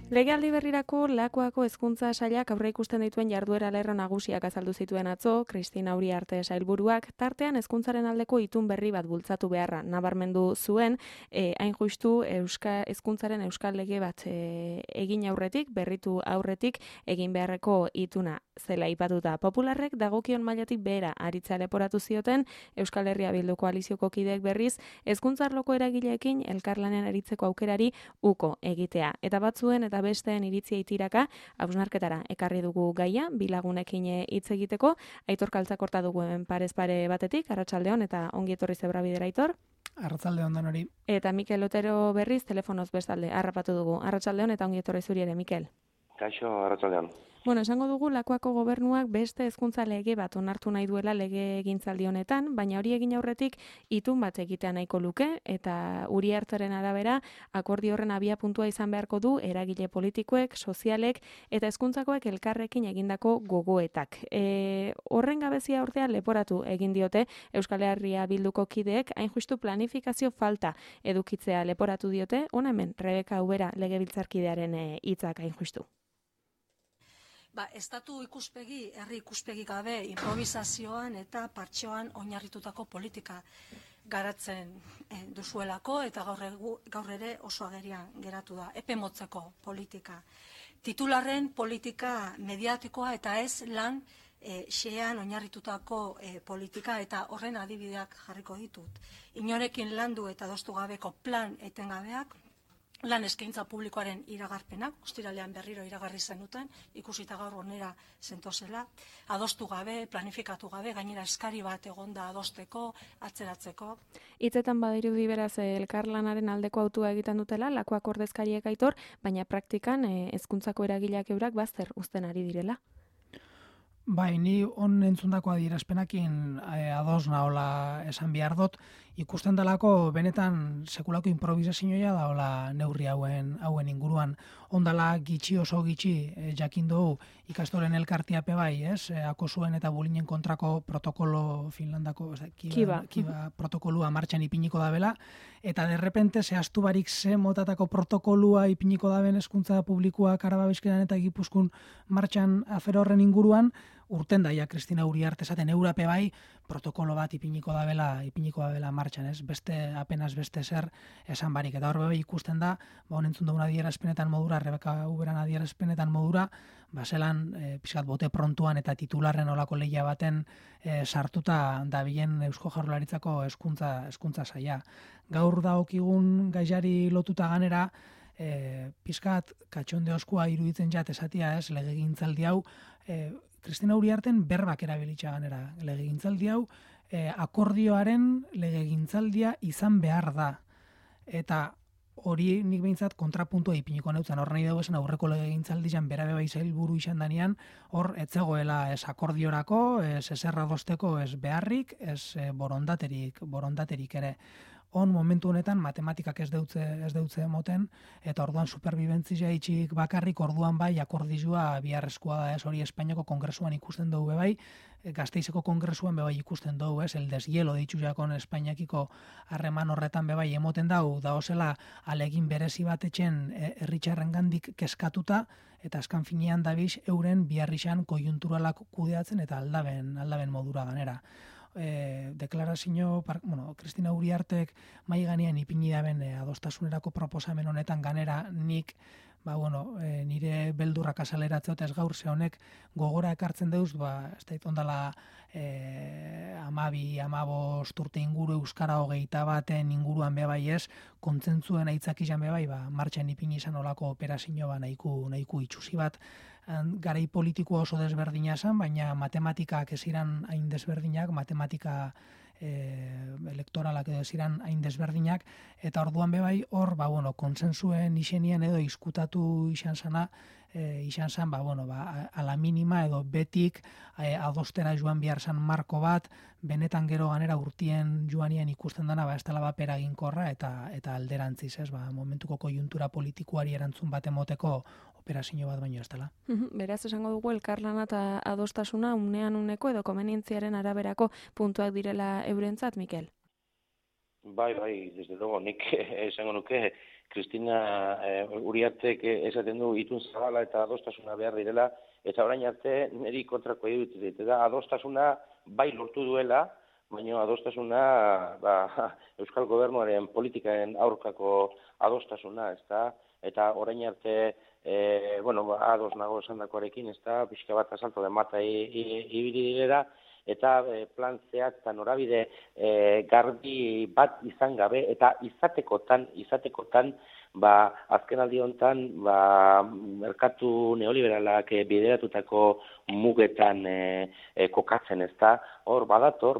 Legealdi berrirako Lakuako hezkuntza sailak aurreikusten dituen jarduera lerro nagusiak azaldu zituen atzo, Kristina Uriarte sailburuak tartean hezkuntzaren aldeko itun berri bat bultzatu beharra nabarmendu zuen, hain justu hezkuntzaren euskal lege bat egin aurretik, berritu aurretik egin beharreko ituna zela aipatuta. Popularrek dagokion mailatik behera aritza leporatu zioten Euskal Herria Bildu koalizioko kideek berriz hezkuntza arloko eragileekin elkarlanean aritzeko aukerari uko egitea. Eta batzuen eta besteen iritzia itiraka hausnarketara ekarri dugu gaia, bi lagunekin hitz egiteko. Aitor Kaltzakorta dugu hemen parez pare batetik, arratsaldeon eta ongi etorri Zebrabidera, Aitor. Arratsaldeon danori. Eta Mikel Otero berriz telefonoz bestalde harrapatu dugu. Arratsaldeon eta ongi etorri zuri ere, Mikel. Kaixo, arratsaldeon. Bueno, esango dugu Lakuako gobernuak beste hezkuntza lege bat onartu nahi duela legegintzaldi honetan, baina hori egin aurretik itun bat egitea nahiko luke, eta Uriarteren arabera akordio horren abiapuntua izan beharko du eragile politikoek, sozialek eta hezkuntzakoek elkarrekin egindako gogoetak. Horren gabezia ordea leporatu egin diote Euskal Herria Bilduko kideek, hain justu planifikazio falta edukitzea leporatu diote, hona hemen Rebeka Ubera legebiltzarkidearen hitzak hain justu. Estatu ikuspegi, herri ikuspegi gabe, improvisazioan eta partxoan oinarritutako politika garatzen duzuelako eta gaur ere oso agerian geratu da, epe motzeko politika. Titularren politika mediatikoa eta ez lan xean oinarritutako politika eta horren adibideak jarriko ditut. Inorekin landu eta adostu gabeko plan etengabeak, lan eskaintza publikoaren iragarpenak, ostiralean berriro iragarri zenuten, ikusita gaur onera zentozela, adostu gabe, planifikatu gabe, gainera eskari bat egonda adosteko, atzeratzeko. Hitzetan badirudi beraz elkarlanaren aldeko autua egiten dutela, Lakuak ordezkariek, Aitor, baina praktikan hezkuntzako eragileak eurak bazter uzten ari direla. Bai, ni on entzundako adierazpenakin ados nahola esan behar dut, ikusten dalako benetan sekulako improvisazioa daola neurri hauen inguruan. Ondala gitxi oso gitxi jakin dugu ikastoren elkartiape bai, ez? Akosuen eta bulinen kontrako protokolo Finlandako, kiba protokolua martxan ipiniko dabela, eta derrepente zehaztu barik ze motatako protokolua ipiniko daben hezkuntza publikoak Araba Bizkaian eta Gipuzkoan martxan afera horren inguruan, urten daia Kristina Uriarte esaten eurape bai protokolo bat ipiniko dabela martxan, ez? Apenas beste zer esan barik. Eta hor ikusten da, honentzun dugun adierazpenetan modura, Rebeka Uberan adierazpenetan modura, zelan pixkat bote prontuan eta titularren olako lehia baten sartuta dabilen Eusko Jaurlaritzako hezkuntza saila. Gaur daokigun gaiari lotuta ganera, pixkat katxonde oskua iruditzen jat esatia, ez, legegintzaldi hau, Kristina Uriarten berbak erabilitza ganera. Legegintzaldi hau akordioaren legegintzaldia izan behar da. Eta hori nik behintzat kontrapuntua ipiniko neutzen. Hor nahi dugu esan aurreko legegintzaldian berabe bai zailburu izan danean, hor etzegoela ez akordiorako, ez eserra dosteko, ez beharrik, ez borondaterik ere. On momentu honetan matematikak ez deutze emoten, eta orduan superbibentzia itxik bakarrik orduan bai akordizua biharrezkoa da, ez, hori Espainiako Kongresuan ikusten dugu bai, Gasteizeko Kongresuan bai ikusten dugu, ez, el deshielo ditxu jakon Espainiakiko harreman horretan bai emoten dugu, da osela alegin berezi bat etxen herritxarren gandik keskatuta, eta askan finean dabiz euren biharrixan kojunturalak kudeatzen eta aldaben modura ganera. Deklarazio, Kristina Uriartek mai ganean ipini daben adostasunerako proposamen honetan ganera nik nire beldurrak azaleratzeot ez gaur ze honek gogora ekartzen deuz, ez da ondala 12-15 urte inguru euskara 21 baten inguruan bebai ez, kontzentzuen aitzak izan bebai, martxan ipini izan olako operazio nahiku itxusi bat, garai politikoa oso desberdina zen, baina matematikak ez iran hain desberdinak, matematika elektoralak edo ez iran hain desberdinak, eta orduan bebai hor, konsensuen izenien edo izkutatu izan zana, ala minima edo betik adostera joan behar zan marko bat, benetan gero ganera urtien joanien ikusten dana, ez dela bapera ginkorra eta alderantziz, ez, momentuko kojuntura politikoari erantzun bat emoteko operazio bat baino ez dela. Beraz, esango dugu elkarlana eta adostasuna unean uneko edo komenientziaren araberako puntuak direla eurentzat, Mikel? Bai, desde luego, nik esango nuke, Kristina Uriartek esaten du itun zabala eta adostasuna behar direla, eta orain arte niri kontrako iruditzen da adostasuna bai lortu duela, baina adostasuna Euskal Gobernuaren politikaren aurkako adostasuna, ezta? Eta orain arte ados nago esandakoarekin, ezta? Pixka bat asalto den mata ibili direla, eta plan zehatz eta norabide garbi bat izan gabe, eta izatekotan, azken aldi honetan, merkatu neoliberalak bideratutako mugetan kokatzen, ezta? Hor, badator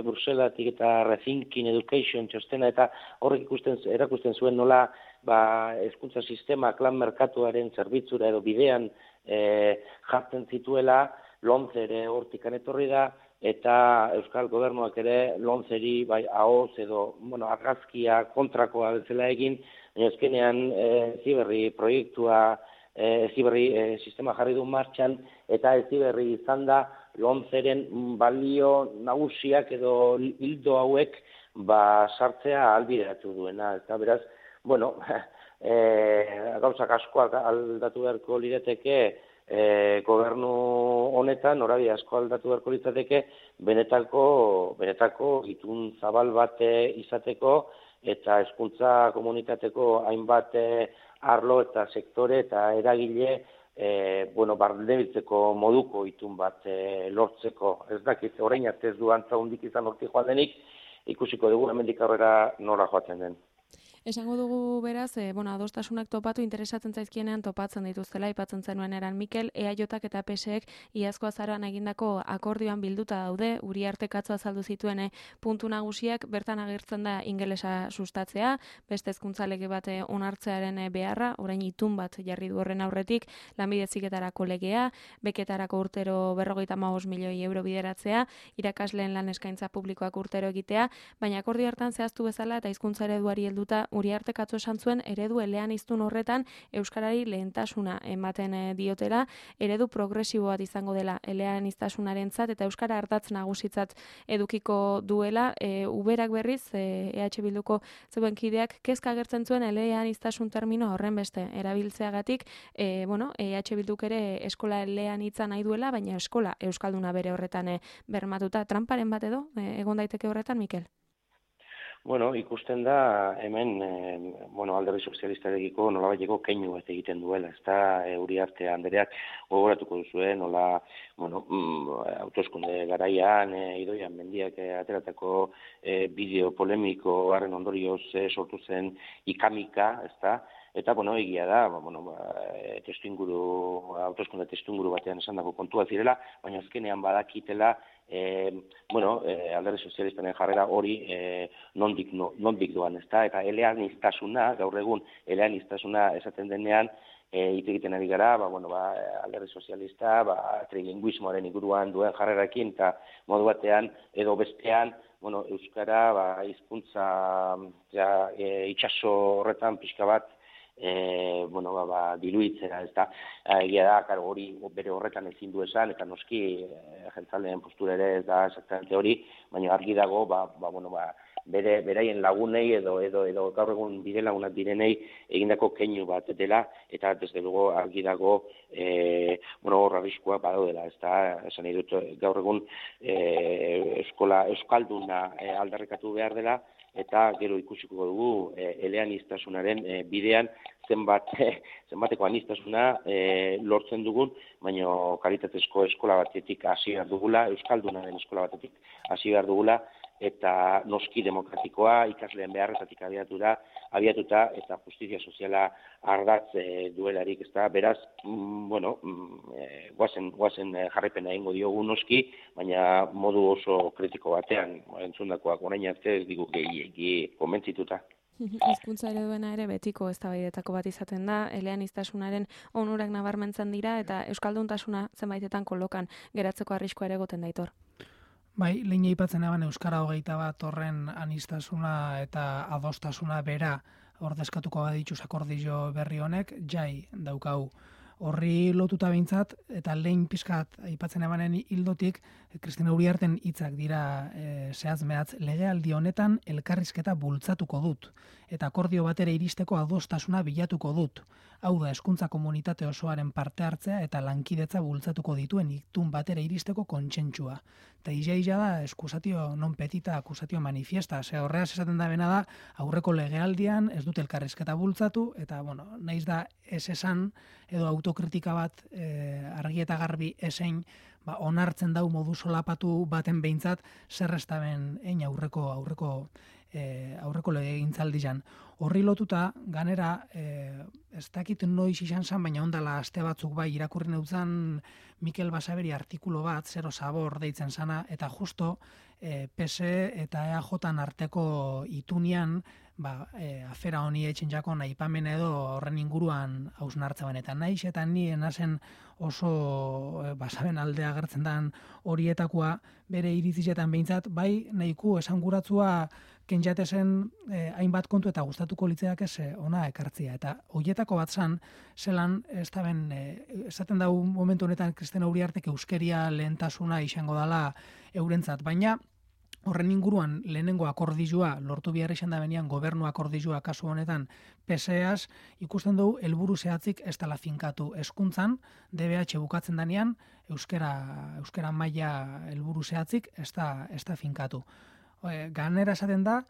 Bruselatik eta Rethinking Education txostena, eta horrek erakusten zuen nola hezkuntza sistema klan merkatuaren zerbitzura edo bidean jartzen zituela, Lomce ere hortikan etorri da, eta Euskal Gobernuak ere Lomceri ahoz edo argazkia kontrakoa bezala egin, baina azkenean Heziberri proiektua, Heziberri sistema jarri du martxan, eta Heziberri izan da Lomceren balio nagusiak edo hildo hauek sartzea ahalbideratu duena. Eta beraz, gauzak askoak aldatu beharko lirateke, gobernu honetan, norabide asko aldatu beharko litzateke, benetako itun zabal bat izateko, eta hezkuntza komunitateko hainbat arlo eta sektore eta eragile barnebiltzeko moduko itun bat lortzeko. Ez dakit, orain arte ez du antza hundik izan hortik joan denik, ikusiko dugu hemendik aurrera nora joaten den. Esango dugu beraz, adostasunak topatu interesatzen zaizkienean topatzen dituztela, aipatzen zenuen eran Mikel, EAJak eta PSek iazko azaroan egindako akordioan bilduta daude, Uriartek atzo azaldu zituen puntu nagusiak, bertan agertzen da ingelesa sustatzea, beste hezkuntza lege bat onartzearen beharra, orain itun bat jarri du horren aurretik, lanbide heziketarako legea, beketarako urtero 55 milioi euro bideratzea, irakasleen lan eskaintza publikoak urtero egitea, baina akordio hartan zehaztu bezala eta hizkuntza ereduari helduta Uriartek atzo esan zuen eredu eleaniztun horretan euskarari lehentasuna ematen diotela, eredu progresibo bat izango dela eleaniztasunarentzat eta euskara ardatz nagusitzat edukiko duela. Uberak berriz, EH Bilduko zeuen kideak, kezka agertzen zuen eleaniztasun termino horren beste erabiltzeagatik, EH Bilduk ere eskola eleanitza nahi duela, baina eskola euskalduna bere horretan bermatuta. Tramparen bat edo, egon daiteke horretan, Mikel? Ikusten da hemen alderdi sozialistarekiko nolabaiteko keinu bat egiten duela, ezta Uriarte Andereak gogoratuko duzue, nola hauteskunde garaian Idoia Mendiak ateratako bideo polemiko harren ondorioz sortu zen ikamika, ezta? Eta, egia da, hauteskunde testuinguru batean esandako kontua zirela, baina azkenean badakitela, alderdi sozialistaren jarrera hori nondik doan, ezta? Eta eleaniztasuna, gaur egun eleaniztasuna esaten denean, hitz egiten ari gara, alderdi sozialista, trilingüismoaren inguruan duen jarrerakin, eta modu batean edo bestean, euskara hizkuntza itsaso horretan pixka bat diluitzera, ez da, egia da, hori bere horretan ezin du esan, eta noski jeltzaleen postura ere ez da exactamente hori, baina argi dago, beraien lagunei edo gaur egun bide lagunak direnei egindako keinu bat dela, eta desde luego argi dago hor arriskua badaudela, ez da, esan nahi dut gaur egun euskalduna aldarrikatu behar dela, eta gero ikusiko dugu eleaniztasunaren bidean zenbateko aniztasuna lortzen dugun, baina kalitatezko eskola batetik hasi behar dugula, euskaldunaren eskola batetik hasi behar dugula, eta noski demokratikoa ikasleen beharretatik abiatuta eta justizia soziala ardatz duelarik, ez da, beraz, guazen jarraipena egingo diogu noski, baina modu oso kritiko batean, entzundakoak orain arte ez digu gehiegi konbentzituta. Hizkuntza ereduena ere betiko eztabaidetako bat izaten da, eleaniztasunaren onurak nabarmentzen dira eta euskalduntasuna zenbaitetan kolokan geratzeko arriskua ere egoten daitor. Bai, lehen aipatzen eban Euskara 21 horren aniztasuna eta adostasuna bera ordezkatuko badituz akordio berri honek, jai daukau Horri lotuta behintzat, eta lehen pizkat aipatzen emanen hildotik, Kristina Uriarten hitzak dira zehaz mehatz, legealdi honetan elkarrizketa bultzatuko dut, eta akordio batera iristeko adostasuna bilatuko dut. Hau da, hezkuntza komunitate osoaren parte hartzea eta lankidetza bultzatuko dituen itun batera iristeko kontsentsua. Eta ija da, eskusatio non petita akusatio manifiesta, horreaz esaten da bena da, aurreko legealdian ez dut elkarrizketa bultzatu, eta, naiz da ez esan, edo autokritika bat argi eta garbi esein, onartzen dau modu solapatu baten behintzat, zer ez da ben aurreko legegintzaldian. Horri lotuta, ganera, ez dakit noiz izan zen, baina ondala aste batzuk bai irakurri neutzan Mikel Basaberi artikulo bat, Zero Sabor deitzen sana, eta justo PSE eta EAJan arteko itunian, afera honi etxen jakon aipamen edo horren inguruan hausnartzaben. Eta naiz eta ni enazen oso Basaben aldea agertzen dan horietakoa bere iritzizetan behintzat, bai nahiko esanguratzua kenjatezen hainbat kontu eta gustatuko litzeak ez ona ekartzia. Eta horietako bat zan, zelan, esaten da momentu honetan Kristina Uriartek euskeria lehentasuna izango dela eurentzat, baina horren inguruan lehenengo akordizua lortu behar izan da benean gobernu akordizua kasu honetan PSEaz ikusten dugu helburu zehatzik ez dela finkatu hezkuntzan, DBH bukatzen danean euskera maila helburu zehatzik ez da finkatu. Ganera esaten da,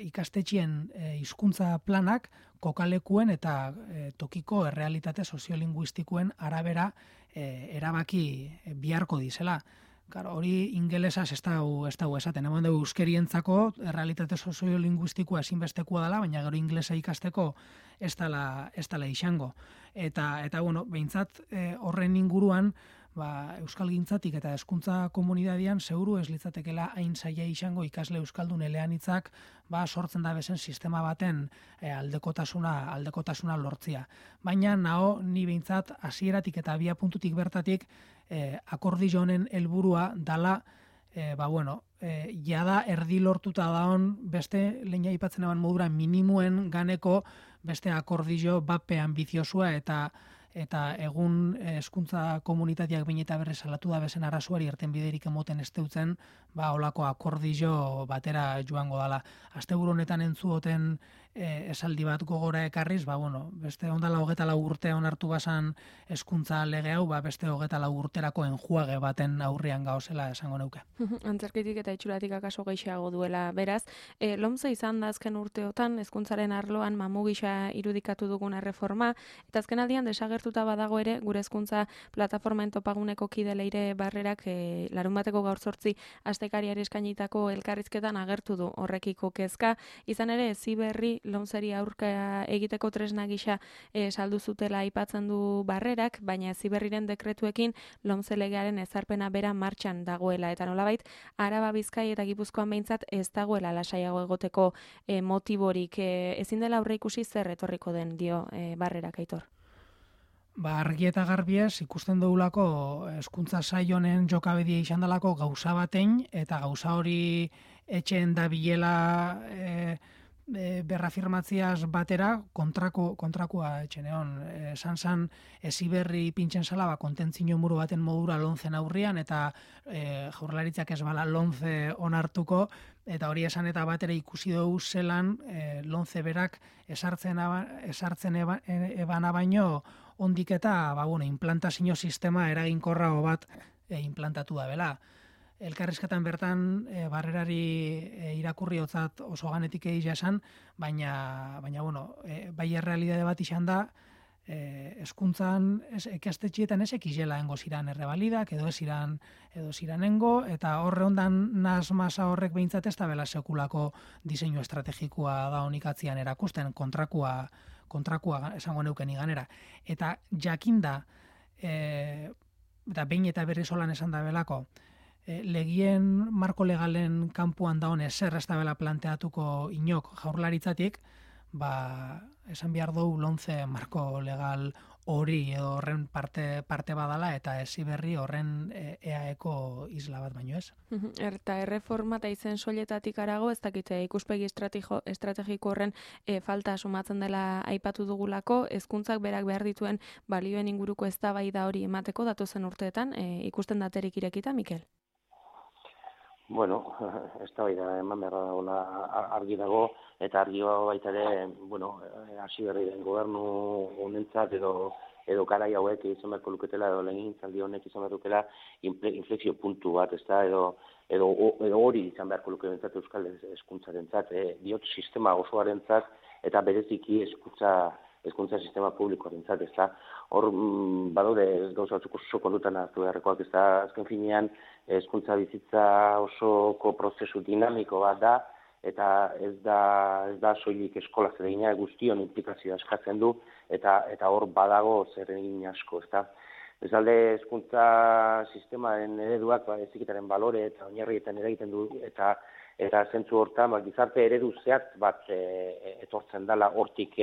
ikastetxien hizkuntza planak kokalekuen eta tokiko errealitate soziolinguistikoen arabera erabaki biharko dizela. Hori ingelesaz ez dago esaten, hemen dugu euskerientzako errealitate soziolinguistikoa ezinbestekoa dela, baina gero inglesa ikasteko ez dela izango. Eta behintzat horren inguruan, euskalgintzatik eta hezkuntza komunitatean seguru ez litzatekela hain zaila izango ikasle euskaldun eleanitzak sortzen da bezen sistema baten aldekotasuna lortzia. Baina ni behintzat hasieratik eta abia puntutik bertatik akordio honen helburua dala jada erdi lortuta daon beste lehen aipatzen eban modura minimuen ganeko beste akordio bape ambiziosua eta egun hezkuntza komunitateak behin eta berrez salatu da bezen arazuari irten biderik emoten esteutzen, holako akordio batera joango dala. Asteburu honetan entzuoten esaldi bat gogora ekarriz, beste ondala 24 urte onartu basan hezkuntza lege hau, beste 24 urterako enjuage baten aurrian gauzela esango neuke. Antzerkitik eta itxuratik akaso gehiago duela, beraz. Lomce izan da azken urteotan, hezkuntzaren arloan mamu gisa irudikatu duguna reforma, eta azken aldian desagertuta badago ere, gure hezkuntza plataformaen topaguneko kide Leire Barrerak larunbateko gaur 8 astekariari eskainitako elkarrizketan agertu du horrekiko kezka, izan ere Heziberri Lomceri aurka egiteko tresna gisa saldu zutela aipatzen du Barrerak, baina Heziberriren dekretuekin Lomce legearen ezarpena bera martxan dagoela, eta nolabait Araba, Bizkai eta Gipuzkoan behintzat ez dagoela lasaiago egoteko motiborik. Ezin dela aurreikusi zer etorriko den dio Barrerak, Aitor. Argi eta garbiez ikusten dugulako hezkuntza sail honen jokabedia izan dalako gauza batein, eta gauza hori etxeen da bilela berrafirmatziaz batera kontrakoa etxeneon. Esan Heziberri pintxen zala kontentzino muru baten modura Lomcen aurrian, eta Jaurlaritzak ez bala Lomce onartuko, eta hori esan eta batera ikusi dugu zelan Lomce berak esartzen ebana baino ondik eta implantazio sistema eraginkorrago bat implantatu da bela. Elkarrizketan bertan Barrerari irakurri hotzat oso ganetik egila esan, baina bai errealidade bat izan da, hezkuntzan ikastetxietan ez ekizela engo ziran errebalidak, edo ez iranengo, eta horre ondan naz masa horrek behintzat ez da bela sekulako diseinu estrategikoa da honikatzian erakusten, kontrakoa esango neuken iganera. Eta jakinda, eta behin eta berri solan esan da belako, legien marko legalen kanpuan daun ezer ez da bela planteatuko inok Jaurlaritzatik, esan behar dugu lonze marko legal hori edo horren parte badala eta Heziberri horren EAeko isla bat baino ez. Eta erreforma eta izen soiletatik arago, ez dakite ikuspegi estrategiko horren falta sumatzen dela aipatu dugulako, hezkuntzak berak behar dituen balioen inguruko eztabaida hori emateko datozen urteetan, ikusten daterik irekita, Mikel? Bueno, eztabaida eman behar dagoela argi dago, eta argi baita ere, Heziberri den gobernu honentzat edo garai hauek izan beharko luketela, edo legegintzaldi honek izan beharko luketela inflexio puntu bat, ezta, edo hori izan beharko luketentzat euskal hezkuntzarentzat, diot sistema osoarentzat eta bereziki hezkuntza sistema publikoarentzat, ezta. Hor badaude gauza batzuk oso kontutan hartu beharrekoak, ezta. Azken finean hezkuntza bizitza osoko prozesu dinamiko bat da, eta ez da soilik eskola zeregina, guztion implikazioa eskatzen du, eta hor badago zer egin asko, ezta. Bezalde hezkuntza sistemaren ereduak heziketaren balore eta oinarrietan eragiten du, eta zentzu hortan gizarte eredu zehatz bat etortzen dela hortik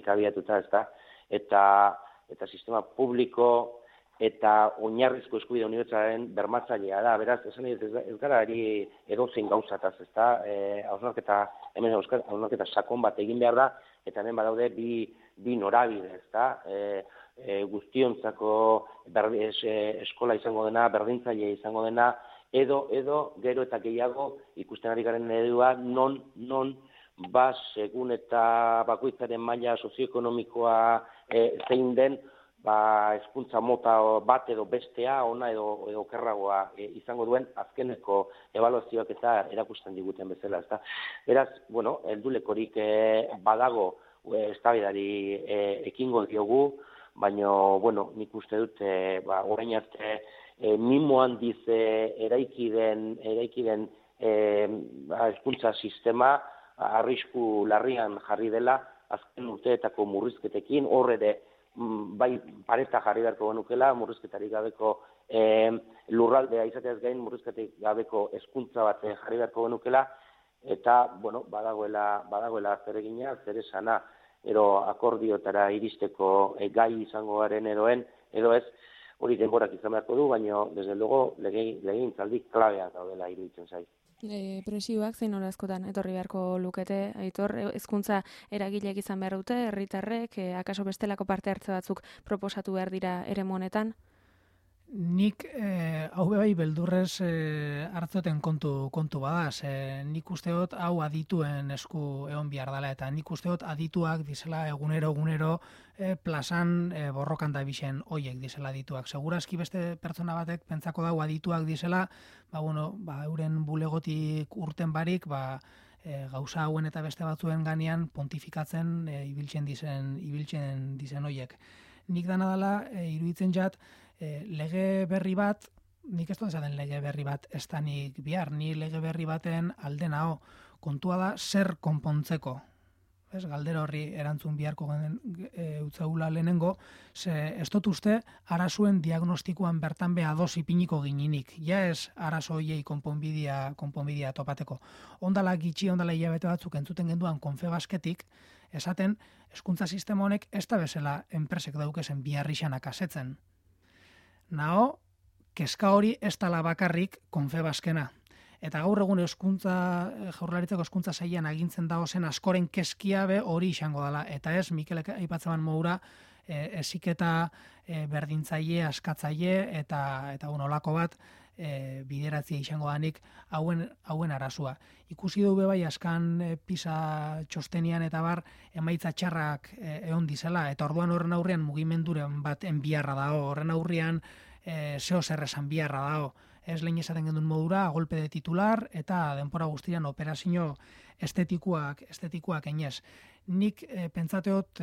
abiatuta, ezta. Eta sistema publiko eta oinarrizko eskubide unibertsalaren bermatzailea da. Beraz, esan ez gara edozein gauzataz, ezta? Hausnarketa sakon bat egin behar da, eta hemen badaude bi norabide, ezta? Guztiontzako eskola izango dena, berdintzailea izango dena, edo gero eta gehiago ikusten ari garen eredua non segun eta bakoitzaren maila sozioekonomikoa zein den, hezkuntza mota bat edo bestea, ona edo okerragoa izango duen azkeneko ebaluazioak eta erakusten diguten bezala, ezta. Beraz, heldulekorik badago eztabaidari ekingo diogu, baina, nik uste dut, orain arte mimo handiz eraiki den hezkuntza sistema arrisku larrian jarri dela azken urteetako murrizketekin, hor ere bai pareta jarri beharko genukela, murrizketarik gabeko lurraldea izateaz gain murrizketarik gabeko hezkuntza bat jarri beharko genukela, eta badagoela zeregina, zer esana, ero akordiotara iristeko gai izango garen edo ez, hori denborak izan beharko du, baina desde luego legegintzaldi klabeak daudela iruditzen zait. Presioak zein askotan etorri beharko lukete, Aitor, hezkuntza eragileek izan behar dute, herritarrek, akaso bestelako parte hartze batzuk proposatu behar dira eremu honetan? Nik hau bai beldurrez hartzoten kontu badaz. Nik uste dut hau adituen esku egon behar dela, eta nik uste dut adituak dizela egunero plazan borrokan da bixen hoiek dizela adituak. Segurazki beste pertsona batek pentsako dau adituak dizela, euren bulegotik urten barik, gauza hauen eta beste batzuen ganean pontifikatzen ibiltzen dizen hoiek. Nik dana dela iruditzen jat, lege berri bat, nik ez dut esaten lege berri bat ez da nik bihar, ni lege berri baten alde nao, kontua da zer konpontzeko. Galdera horri erantzun biharko utzaula lehenengo, ez dut uste arazuen diagnostikoan bertan beha ados ipiniko gininik. Ja ez arazo hoiei konponbidea topateko. Ondala hilabete batzuk entzuten genduan Confebasketik, esaten hezkuntza sistema honek ez da bezala enpresek daukezen biharrixanak asetzen. Nao, kezka hori ez dala bakarrik Confebaskena. Eta gaur egun Jaurlaritzako hezkuntza sailean agintzen dagozen askoren kezkia be hori izango dela. Eta ez, Mikelek aipatzeban modura, heziketa berdintzaile, askatzaile eta olako bat bideratzea izango danik hauen arazua. Ikusi du bai askan PISA txostenian eta bar emaitza txarrak egon dizela, eta orduan horren aurrean mugimenduren bat enbiarra dago, horren aurrean zeo zer esan biharra dago. Ez lehen esaten gendun modura, golpe de titular eta denpora guztian operazio estetikoak enez. Nik pentsateot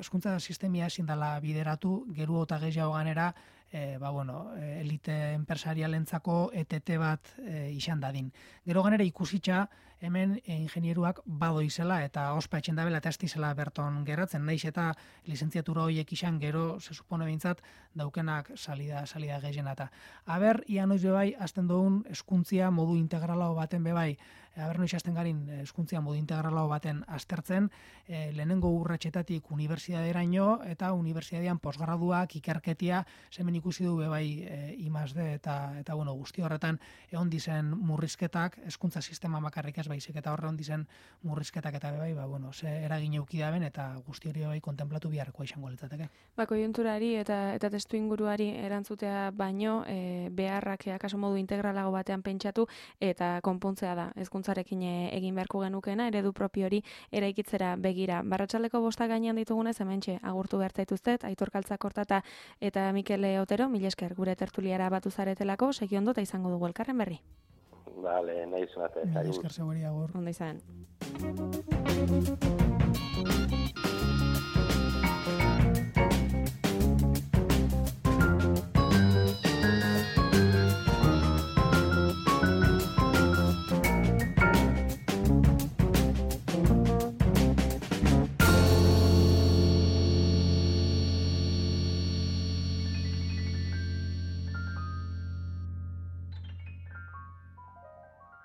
hezkuntza sistemia ezin dela bideratu, geru eta gehiago ganera elite enpresarialentzako ETT bat izan dadin. Gero ganera ikusitza hemen ingenieruak badoizela eta ospa etxen dabela eta estizela berton geratzen, naiz eta lizentziatura horiek izan gero, se supone bintzat, daukenak salida gehienata. Aber, ia noiz bebai, azten dugun hezkuntzia modu integralao baten bebai, aber noiz azten garin hezkuntzia modu integralao baten aztertzen, lehenengo urratxetatik unibertsitateraino eta unibertsitatean posgraduak, ikerketia, zemen ikusi du bebai I+D eta bueno, guzti horretan egon dizen murrizketak, hezkuntza sistema makarrik ez baizik, eta horre egon dizen murrizketak eta bebai, bueno, ze eragin euki daben eta guzti hori bebai kontemplatu biharrekoa izango litzateke. Koiunturari eta testu inguruari erantzutea baino, beharrak akaso modu integralago batean pentsatu eta konpontzea da. Hezkuntzarekin egin beharko genukena, eredu propio hori eraikitzera begira. Barratsaldeko 5 gainean ditugunez, hementxe agurtu behar zaituztet, Aitor Kaltzakorta eta Mikel Otero, mila esker gure tertuliara batu zaretelako, segi ondo eta izango dugu elkarren berri. Vale, nahi zunate. Mila esker zegoeri agur. Ondo izan.